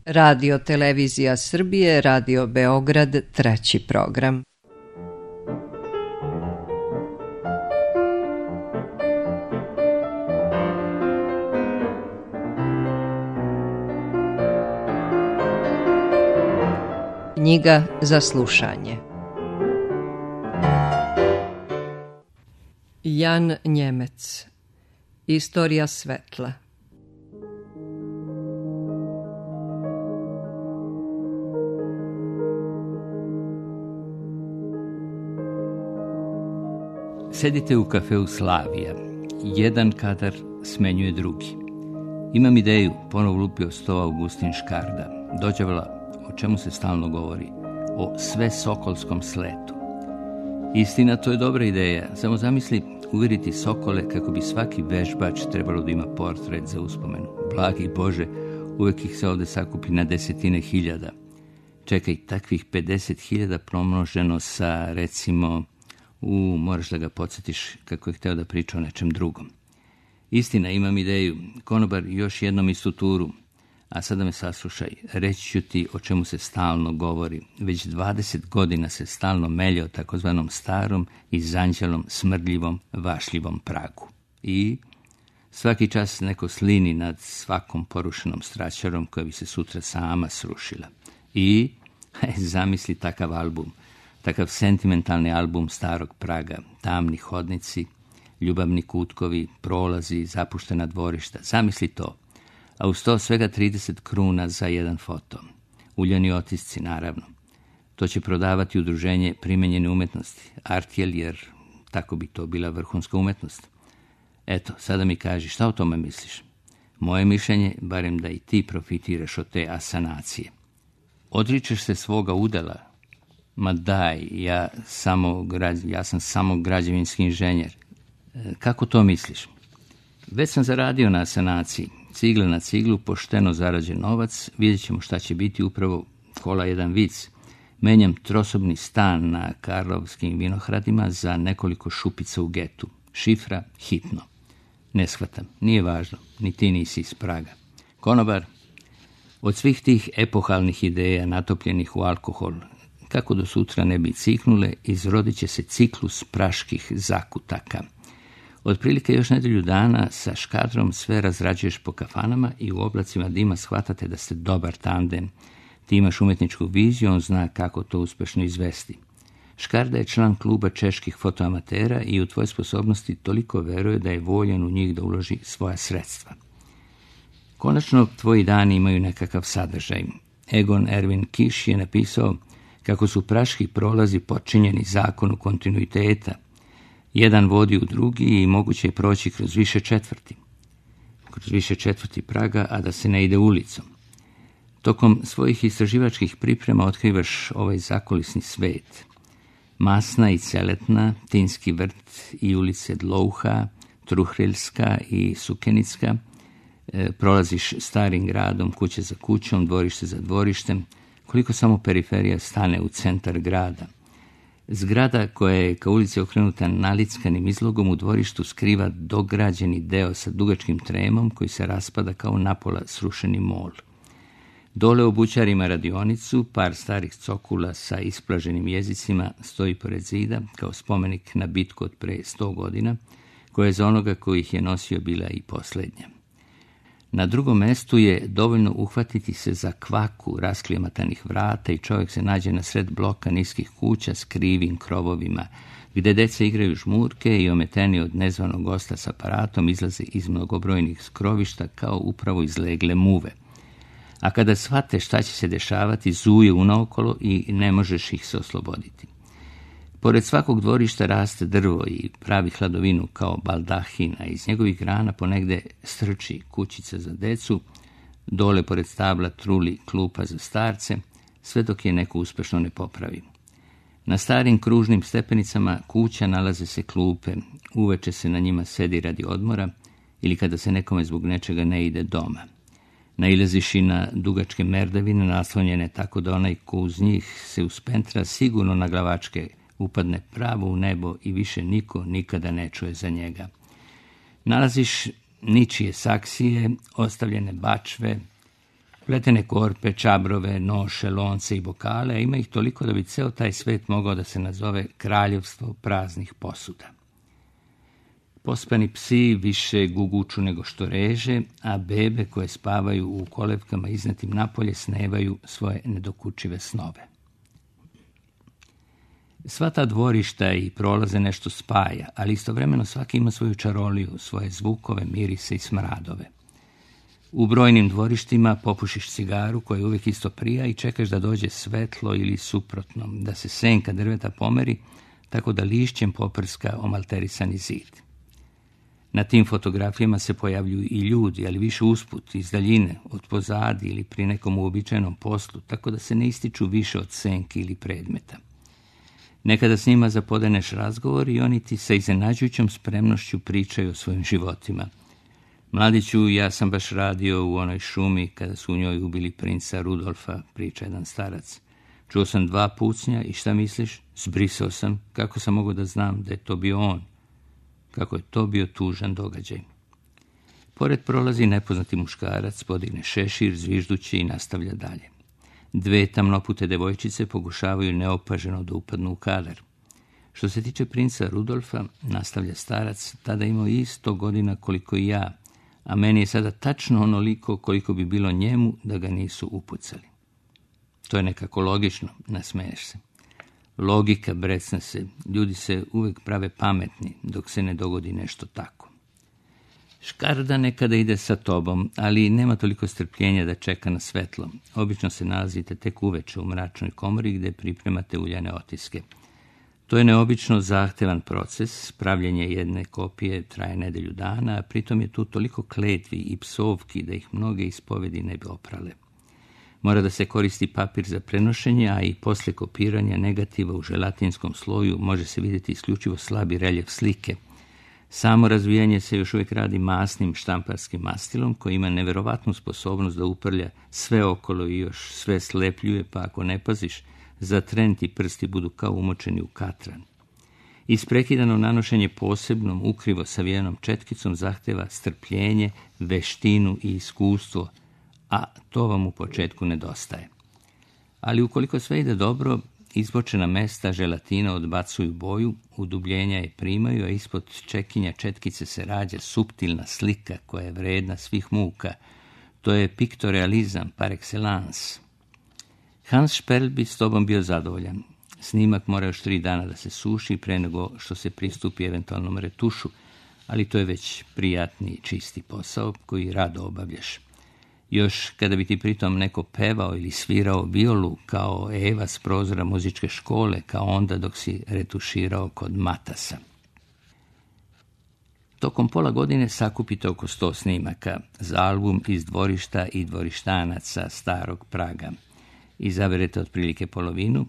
Radio Televizija Srbije, Radio Beograd, treći program. Knjiga za slušanje. Jan Njemec. Istorija svetla. Sedite u kafeu Slavija. Jedan kadar smenjuje drugi. Imam ideju, ponovo lupio sto Augustin Škarda. Dođevala, o čemu se stalno govori, o svesokolskom sletu. Istina, to je dobra ideja. Samo zamisli uvjeriti sokole kako bi svaki vežbač trebalo da ima portret za uspomenu. Blagi Bože, uvijek ih se ovdje sakupi na desetine hiljada. Čekaj, takvih 50.000 pomnoženo sa, recimo, moraš da ga podsjetiš kako je hteo da priča o nečem drugom. Istina, imam ideju. Konobar, još jednom istu turu. A sada me saslušaj, reći ću ti o čemu se stalno govori. Već 20 godina se stalno melje o takozvanom starom i zanđelom, smrdljivom, vašljivom pragu. I svaki čas neko slini nad svakom porušenom straćarom koja bi se sutra sama srušila. I zamisli takav album, takav sentimentalni album starog praga, tamni hodnici, ljubavni kutkovi, prolazi, zapuštena dvorišta. Zamisli to. A uz to svega 30 kruna za jedan foto. Uljani otisci, naravno. To će prodavati udruženje primenjene umetnosti, Artjel, jer tako bi to bila vrhunska umetnost. Eto, sada mi kaži, šta o tome misliš? Moje mišljenje, barem da i ti profitiraš od te asanacije. Odričeš se svoga udela? Ma daj, ja sam samo građevinski inženjer. Kako to misliš? Već sam zaradio na asanaciji. Cigle na ciglu, pošteno zarađen novac, vidjet ćemo šta će biti upravo kola jedan vic. Menjam trosobni stan na Karlovskim Vinohradima za nekoliko šupica u getu. Šifra hitno. Ne shvatam, nije važno, ni ti nisi iz Praga. Konobar, od svih tih epohalnih ideja natopljenih u alkohol, kako do sutra ne bi ciknule, izrodit će se ciklus praških zakutaka. Otprilike još nedelju dana sa Škadrom sve razrađuješ po kafanama i u oblacima dima shvatate da ste dobar tandem. Ti imaš umetničku viziju, on zna kako to uspešno izvesti. Škarda je član kluba čeških fotoamatera i u tvoje sposobnosti toliko veruje da je voljan u njih da uloži svoja sredstva. Konačno, tvoji dani imaju nekakav sadržaj. Egon Erwin Kiš je napisao kako su praški prolazi podčinjeni zakonu kontinuiteta. Jedan vodi u drugi i moguće je proći kroz više četvrti Praga, a da se ne ide ulicom. Tokom svojih istraživačkih priprema otkrivaš ovaj zakulisni svet. Masna i Celetna, Tinski vrt i ulice Dlouha, Truhreljska i Sukenicka. Prolaziš starim gradom, kuće za kućom, dvorište za dvorištem, koliko samo periferija stane u centar grada. Zgrada koja je ka ulici okrenuta nalickanim izlogom u dvorištu skriva dograđeni deo sa dugačkim tremom koji se raspada kao napola srušeni mol. Dole u bućarima radionicu, par starih cokula sa isplaženim jezicima stoji pored zida kao spomenik na bitku od pre 100 godina, koja je za onoga koji ih je nosio bila i posljednja. Na drugom mestu je dovoljno uhvatiti se za kvaku rasklijematanih vrata i čovjek se nađe na sred bloka niskih kuća s krivim krovovima, gde deca igraju žmurke i ometeni od nezvanog gosta s aparatom izlaze iz mnogobrojnih skrovišta kao upravo izlegle muve. A kada shvate šta će se dešavati, zuje unaokolo i ne možeš ih se osloboditi. Pored svakog dvorišta raste drvo i pravi hladovinu kao baldahina. Iz njegovih grana ponegde strči kućica za decu, dole pored stabla truli klupa za starce, sve dok je neko uspešno ne popravi. Na starim kružnim stepenicama kuća nalaze se klupe, uveče se na njima sedi radi odmora ili kada se nekome zbog nečega ne ide doma. Nailaziš i na dugačke merdavine naslonjene tako da onaj ko uz njih se uspentra sigurno na glavačke upadne pravo u nebo i više niko nikada ne čuje za njega. Nalaziš ničije saksije, ostavljene bačve, Pletene korpe, čabrove, noše, lonce i bokale, a ima ih toliko da bi ceo taj svet mogao da se nazove kraljevstvo praznih posuda. Pospani psi više guguču nego što reže, a bebe koje spavaju u kolevkama iznetim napolje snevaju svoje nedokučive snove. Sva ta dvorišta i prolaze nešto spaja, ali istovremeno svaki ima svoju čaroliju, svoje zvukove, mirise i smradove. U brojnim dvorištima popušiš cigaru koja uvijek isto prija i čekaš da dođe svetlo ili suprotno, da se senka drveta pomeri tako da lišćem poprska omalterisani zid. Na tim fotografijama se pojavljuju i ljudi, ali više usput, iz daljine, od pozadi ili pri nekom uobičajenom poslu, tako da se ne ističu više od senke ili predmeta. Nekada s njima zapodeneš razgovor i oni ti sa iznenađujućom spremnošću pričaju o svojim životima. Mladiću, ja sam baš radio u onoj šumi kada su u njoj ubili princa Rudolfa, priča jedan starac. Čuo sam 2 pucnja i šta misliš? Zbrisao sam. Kako sam mogao da znam da je to bio on? Kako je to bio tužan događaj. Pored prolazi nepoznati muškarac, podigne šešir, zviždući i nastavlja dalje. 2 tamnopute devojčice pokušavaju neopaženo da upadnu u kadar. Što se tiče princa Rudolfa, nastavlja starac, tada imao isto godina koliko i ja, a meni je sada tačno onoliko koliko bi bilo njemu da ga nisu upucali. To je nekako logično, nasmeješ se. Logika brecne se, ljudi se uvijek prave pametni dok se ne dogodi nešto tako. Škarda nekada ide sa tobom, ali nema toliko strpljenja da čeka na svetlo. Obično se nalazite tek uveče u mračnoj komori gdje pripremate uljane otiske. To je neobično zahtevan proces, pravljenje jedne kopije traje nedelju dana, a pritom je tu toliko kletvi i psovki da ih mnoge ispovedi ne bi oprale. Mora da se koristi papir za prenošenje, a i poslije kopiranja negativa u želatinskom sloju može se vidjeti isključivo slabi reljef slike. Samo razvijanje se još uvijek radi masnim štamparskim mastilom koji ima neverovatnu sposobnost da uprlja sve okolo i još sve slepljuje, pa ako ne paziš, za tren ti prsti budu kao umočeni u katran. Isprekidano nanošenje posebnom, ukrivo savijenom četkicom zahteva strpljenje, veštinu i iskustvo, a to vam u početku nedostaje. Ali ukoliko sve ide dobro, izbočena mesta želatina odbacuju boju, udubljenja je primaju, a ispod čekinja četkice se rađa suptilna slika koja je vredna svih muka. To je piktorealizam par excellence. Hans Sperl bi s tobom bio zadovoljan. Snimak mora još 3 dana da se suši pre nego što se pristupi eventualnom retušu, ali to je već prijatni i čisti posao koji rado obavljaš. Još kada bi ti pritom neko pevao ili svirao violu kao Eva s prozora muzičke škole, kao onda dok si retuširao kod Matasa. Tokom pola godine sakupite oko 100 snimaka za album iz dvorišta i dvorištanaca starog Praga. Izaberete otprilike polovinu.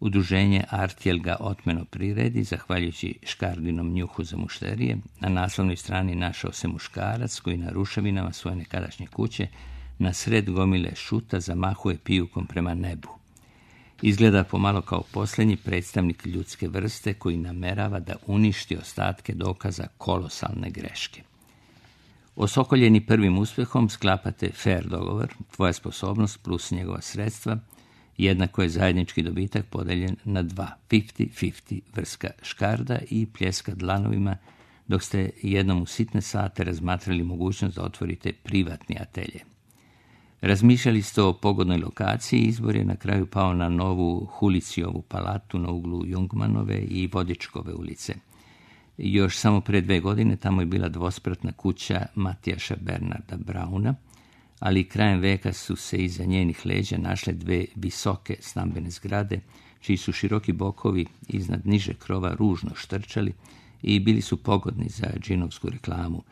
Udruženje Artjel ga otmeno priredi, zahvaljujući Škardinom njuhu za mušterije. Na naslovnoj strani našao se muškarac koji na ruševinama svoje nekadašnje kuće na sred gomile šuta zamahuje pijukom prema nebu. Izgleda pomalo kao posljednji predstavnik ljudske vrste koji namerava da uništi ostatke dokaza kolosalne greške. Osokoljeni prvim uspjehom sklapate fair dogovor, tvoja sposobnost plus njegova sredstva, jednako je zajednički dobitak podeljen na 2, 50-50, vrska škarda i pljeska dlanovima, dok ste jednom u sitne sate razmatrali mogućnost da otvorite privatni atelje. Razmišljali ste o pogodnoj lokaciji i izbor je na kraju pao na novu Hulicijovu palatu na uglu Jungmanove i Vodičkove ulice. Još samo pre 2 godine tamo je bila dvospratna kuća Matijaša Bernarda Brauna, ali krajem veka su se iza njenih leđa našle 2 visoke stambene zgrade, čiji su široki bokovi iznad niže krova ružno štrčali i bili su pogodni za džinovsku reklamu.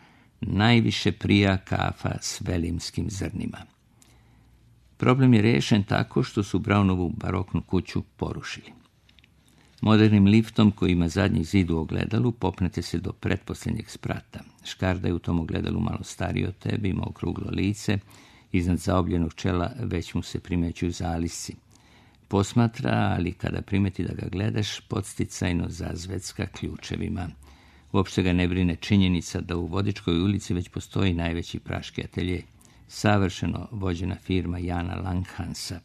Najviše prija kafa s velimskim zrnima. Problem je riješen tako što su Braunovu baroknu kuću porušili. Modernim liftom koji ima zadnji zid u ogledalu popnete se do pretposljednjeg sprata. Škarda je u tom ogledalu malo stariji od tebe, ima okruglo lice, iznad zaobljenog čela već mu se primećuju zalisci. Posmatra, ali kada primeti da ga gledaš, podsticajno zazvecka ključevima. Uopšte ga ne brine činjenica da u Vodičkoj ulici već postoji najveći praški atelje. savršeno vođena firma Jana Langhansa,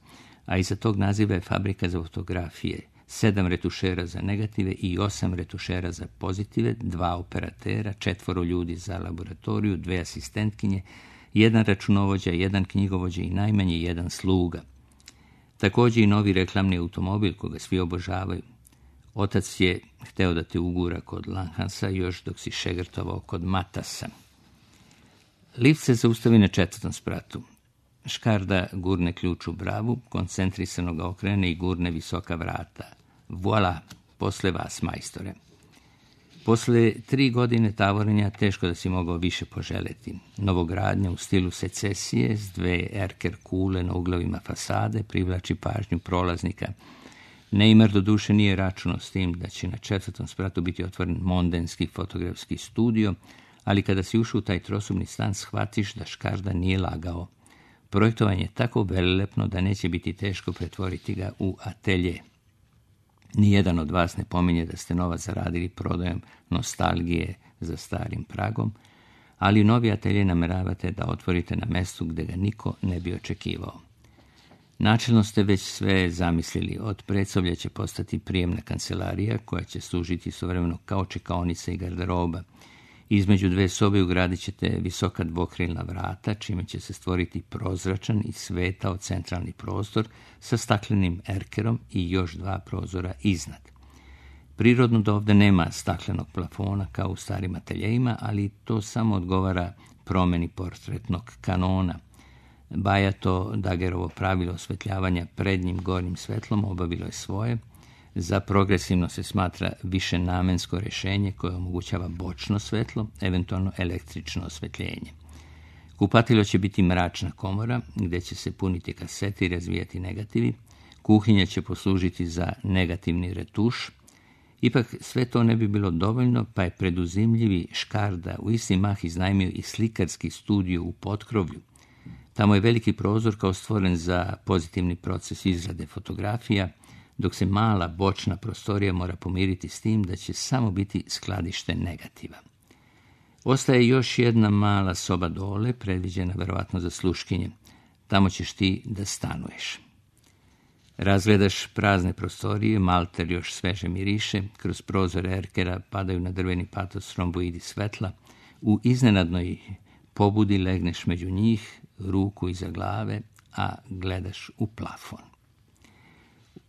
a iza tog naziva je fabrika za fotografije, 7 retušera za negative i 8 retušera za pozitive, 2 operatera, 4 ljudi za laboratoriju, 2 asistentkinje, 1 računovođa, 1 knjigovođa i najmanje 1 sluga. Također i novi reklamni automobil koga svi obožavaju. Otac je hteo da te ugura kod Langhansa još dok si šegrtovao kod Matasa. Lift se zaustavi na 4. spratu. Škarda gurne ključ u bravu, koncentrisano ga okrene i gurne visoka vrata. Voila, posle vas, majstore. Posle 3 godine tavorenja teško da si mogao više poželeti. Novogradnja u stilu secesije s 2 erker kule na uglavima fasade privlači pažnju prolaznika. Neymar do duše nije računao s tim da će na 4. spratu biti otvoren mondenski fotografski studio, ali kada si ušao u taj trosobni stan shvatiš da Škarda nije lagao. Projektovanje je tako velelepno da neće biti teško pretvoriti ga u atelje. Nijedan od vas ne pominje da ste novac zaradili prodajom nostalgije za starim pragom, ali novi atelje nameravate da otvorite na mestu gde ga niko ne bi očekivao. Načelno ste već sve zamislili. Od predsoblja će postati prijemna kancelarija koja će služiti istovremeno kao čekaonica i garderoba. Između 2 sobe ugradit ćete visoka dvokrilna vrata, čime će se stvoriti prozračan i svetao centralni prostor sa staklenim erkerom i još 2 prozora iznad. Prirodno da ovdje nema staklenog plafona kao u starim ateljejima, ali to samo odgovara promjeni portretnog kanona. Bajato Dagerovo pravilo osvetljavanja prednjim gornjim svetlom obavilo je svoje. Za progresivno se smatra višenamensko rješenje koje omogućava bočno svetlo, eventualno električno osvetljenje. Kupatilo će biti mračna komora gdje će se puniti kasete i razvijati negativi. Kuhinja će poslužiti za negativni retuš. Ipak sve to ne bi bilo dovoljno, pa je preduzimljivi Škarda u isti mah iznajmio i slikarski studio u potkrovlju. Tamo je veliki prozor kao stvoren za pozitivni proces izrade fotografija, dok se mala bočna prostorija mora pomiriti s tim da će samo biti skladište negativa. Ostaje još jedna mala soba dole, predviđena verovatno za sluškinje. Tamo ćeš ti da stanuješ. Razgledaš prazne prostorije, malter još sveže miriše, kroz prozore erkera padaju na drveni patos romboidi svetla. U iznenadnoj pobudi legneš među njih, ruku iza glave, a gledaš u plafon.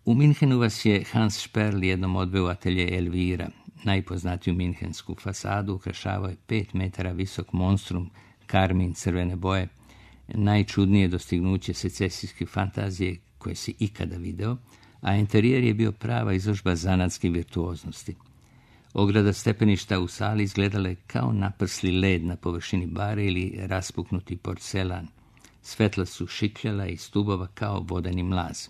U Minhenu vas je Hans Sperl jednom odveo u atelje Elvira. Najpoznatiju minhensku fasadu ukrašavao je 5 metara visok monstrum karmin crvene boje, najčudnije dostignuće secesijske fantazije koje si ikada video, a interijer je bio prava izložba zanatske virtuoznosti. Ograda stepeništa u sali izgledala je kao naprsli led na površini bare ili raspuknuti porcelan. Svetla su šikljala iz stubova kao vodeni mlaz.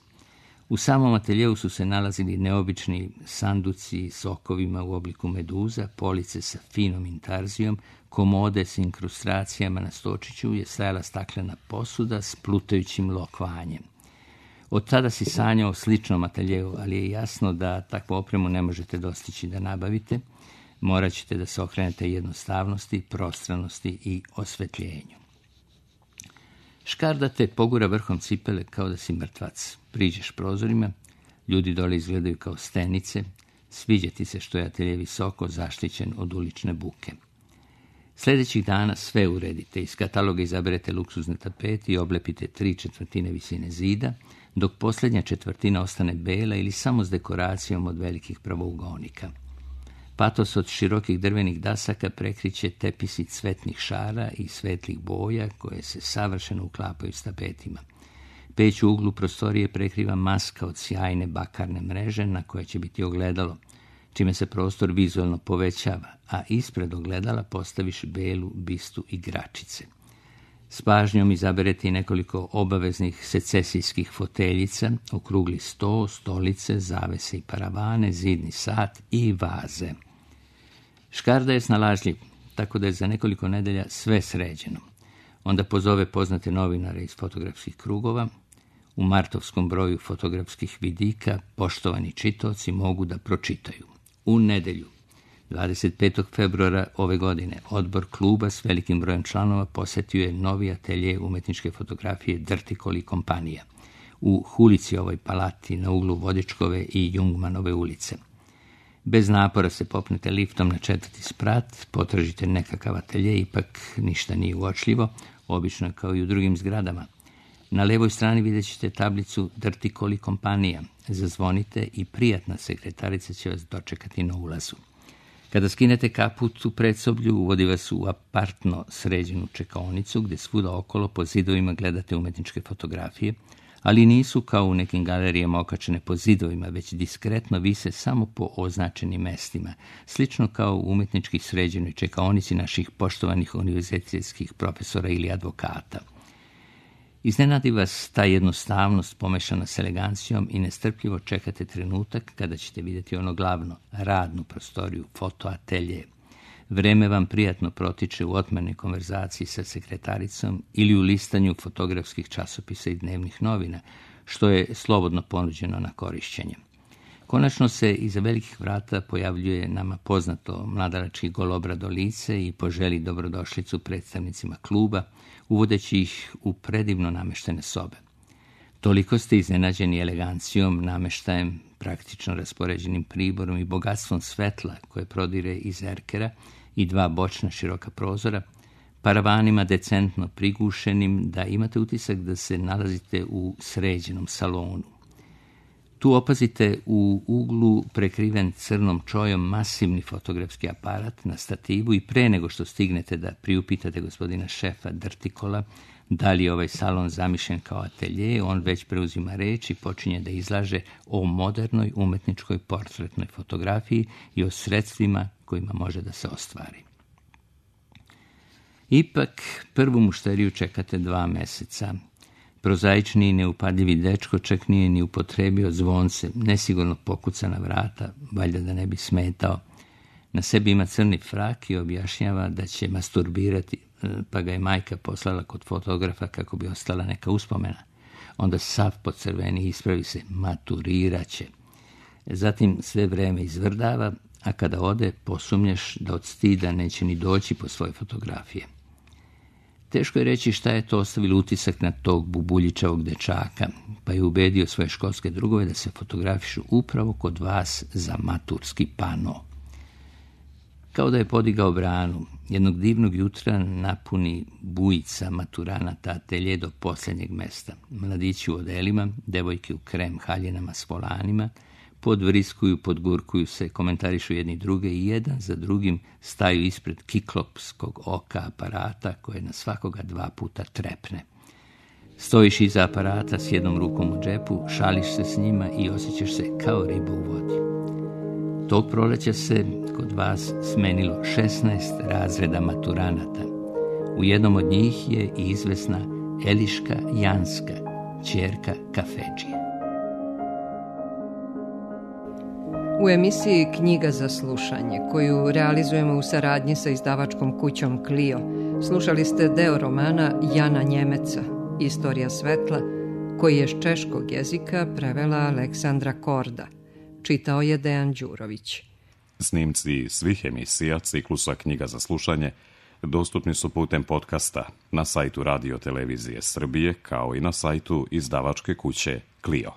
U samom ateljeu su se nalazili neobični sanduci s okovima u obliku meduza, police sa finom intarzijom, komode s inkrustacijama na stočiću je stajala staklena posuda s plutajućim lokvanjem. Od tada si sanjao o sličnom ateljeu, ali je jasno da takvu opremu ne možete dostići da nabavite. Morat ćete da se okrenete jednostavnosti, prostranosti i osvetljenju. Škarda te pogura vrhom cipele kao da si mrtvac. Priđeš prozorima, ljudi dole izgledaju kao stenice, sviđa ti se što je atelje visoko zaštićen od ulične buke. Sljedećih dana sve uredite, iz kataloga izaberete luksuzne tapete i oblepite 3/4 visine zida, dok posljednja četvrtina ostane bela ili samo s dekoracijom od velikih pravougonika. Patos od širokih drvenih dasaka prekriće tepisi cvetnih šara i svetlih boja koje se savršeno uklapaju s tapetima. Peć u uglu prostorije prekriva maska od sjajne bakarne mreže na koje će biti ogledalo, čime se prostor vizualno povećava, a ispred ogledala postaviš belu bistu igračice. S pažnjom izaberete i nekoliko obaveznih secesijskih foteljica, okrugli sto, stolice, zavese i paravane, zidni sat i vaze. Škarda je snalažljiv, tako da je za nekoliko nedelja sve sređeno. Onda pozove poznate novinare iz fotografskih krugova. U martovskom broju fotografskih vidika poštovani čitaoci mogu da pročitaju. U nedelju 25. februara ove godine odbor kluba s velikim brojem članova posjetio je novi atelje umetničke fotografije Drtikol i kompanija u Hulicijovoj palati na uglu Vodičkove i Jungmanove ulice. Bez napora se popnete liftom na 4. sprat, potražite nekakav atelje, ipak ništa nije uočljivo, obično kao i u drugim zgradama. Na levoj strani vidjet ćete tablicu Drtikol i kompanija. Zazvonite i prijatna sekretarica će vas dočekati na ulazu. Kada skinete kaput u predsoblju, uvodi vas u apartno sređenu čekaonicu, gdje svuda okolo po zidovima gledate umetničke fotografije, ali nisu kao u nekim galerijama okačene po zidovima, već diskretno vise samo po označenim mestima, slično kao u umjetnički sređenoj čekaonici naših poštovanih univerzitetskih profesora ili advokata. Iznenadi vas ta jednostavnost pomešana s elegancijom i nestrpljivo čekate trenutak kada ćete vidjeti ono glavno, radnu prostoriju, fotoatelje. Vreme vam prijatno protiče u otmernoj konverzaciji sa sekretaricom ili u listanju fotografskih časopisa i dnevnih novina, što je slobodno ponuđeno na korišćenje. Konačno se iza velikih vrata pojavljuje nama poznato mladalački golobrado lice i poželi dobrodošlicu predstavnicima kluba, uvodeći ih u predivno nameštene sobe. Toliko ste iznenađeni elegancijom, nameštajem, praktično raspoređenim priborom i bogatstvom svetla koje prodire iz erkera i 2 bočna široka prozora, paravanima decentno prigušenim, da imate utisak da se nalazite u sređenom salonu. Tu opazite u uglu prekriven crnom čojom masivni fotografski aparat na stativu i pre nego što stignete da priupitate gospodina šefa Drtikola da li je ovaj salon zamišljen kao atelje, on već preuzima reč i počinje da izlaže o modernoj umetničkoj portretnoj fotografiji i o sredstvima kojima može da se ostvari. Ipak, prvu mušteriju čekate 2 meseca. Prozaični i neupadljivi dečko čak nije ni upotrebio zvonce, nesigurno pokuca na vrata, valjda da ne bi smetao. Na sebi ima crni frak i objašnjava da će masturbirati, pa ga je majka poslala kod fotografa kako bi ostala neka uspomena. Onda sav pocrveni i ispravi se, maturirat će. Zatim sve vreme izvrdava, a kada ode posumnjaš da od stida neće ni doći po svoje fotografije. Teško je reći šta je to ostavilo utisak na tog bubuljičavog dečaka, pa je ubedio svoje školske drugove da se fotografišu upravo kod vas za maturski pano. Kao da je podigao branu, jednog divnog jutra napuni bujica maturanata atelje do posljednjeg mesta. Mladići u odelima, devojke u krem haljinama s volanima, podvriskuju, podgurkuju se, komentarišu jedni druge i jedan za drugim staju ispred kiklopskog oka aparata koje na svakoga 2 puta trepne. Stojiš iza aparata s jednom rukom u džepu, šališ se s njima i osjećaš se kao riba u vodi. Tog proleća se kod vas smenilo 16 razreda maturanata. U jednom od njih je i izvesna Eliška Janska, ćerka kafedžije. U emisiji Knjiga za slušanje, koju realizujemo u saradnji sa izdavačkom kućom Clio, slušali ste deo romana Jana Njemeca, Istorija svetla, koji je s češkog jezika prevela Aleksandra Korda. Čitao je Dejan Đurović. Snimci svih emisija ciklusa Knjiga za slušanje dostupni su putem podcasta na sajtu Radio Televizije Srbije, kao i na sajtu izdavačke kuće Clio.